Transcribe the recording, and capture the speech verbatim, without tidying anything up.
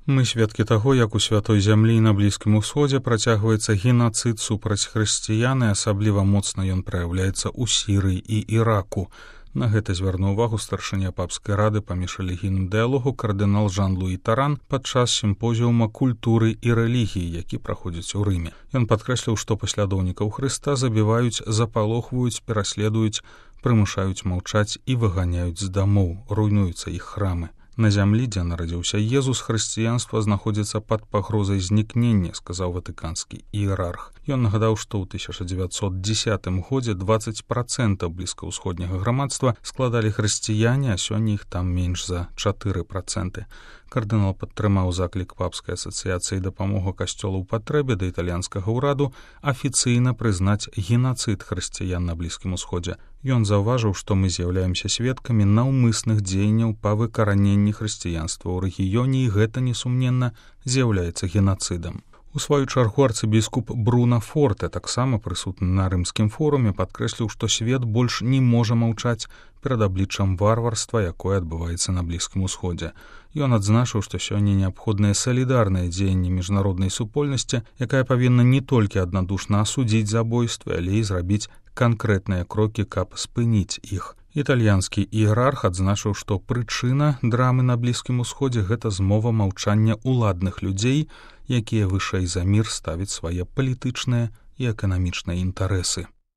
Мы сведкі таго, як у святой зямлі і на Блізкім Усходзе працягваецца генацыд супраць хрысціян, і асабліва моцна ён праяўляецца ў Сірыі і Іраку. На гэта звярнуў увагу старшыня папскай рады па міжрэлігійным дыялогу кардынал Жан-Луі Таран падчас сімпозіума культуры і рэлігіі, які праходзіць у Рыме. Ён падкрэсліў, што паслядоўнікаў Хрыста забіваюць, запалохваюць, пераследуюць, прымушаюць маўчаць і выганяюць з дамоў, руйнуюцца іх храмы. На зямлі, дзе нарадзіўся Езус, хрысціянства знаходзіцца пад пагрозай знікнення, сказаў ватыканскі іерарх. Ён нагадаў, што ў тысяча дзевяцьсот дзесятым годзе дваццаць працэнтаў блізкаўсходняга грамадства складалі хрысціяне, а сёння іх там менш за чатыры працэнты. Кардынал падтрымаў заклік папскай асацыяцыі дапамога касцёлу ў патрэбе да італьянскага ўраду афіцыйна прызнаць генацыд хрысціян на Блізкім Усходзе. Ён заўважыў, што мы з'яўляемся сведкамі наўмысных дзеянняў па выкараненні хрысціянства ў рэгіёне, і гэта, несумненна, з'яўляецца генацыдам. У сваю чаргу арцыбіскуп Бруно Форте, таксама прысутны на рымскім форуме, падкрэсліў, што свет больш не можа маўчаць перад абліччам варварства, якое адбываецца на Блізкім Усходзе. Ён адзначыў, што сёння неабходнае салідарнае дзеянне міжнароднай супольнасці, якая павінна не толькі аднадушна асудзіць забойствы, але і зрабіць канкрэтныя крокі, каб спыніць іх. Італьянскі іерарх адзначыў, што прычына драмы на Блізкім Усходзе — гэта змова маўчання ўладных людзей, якія вышэй за мір ставяць свае палітычныя і эканамічныя інтарэсы.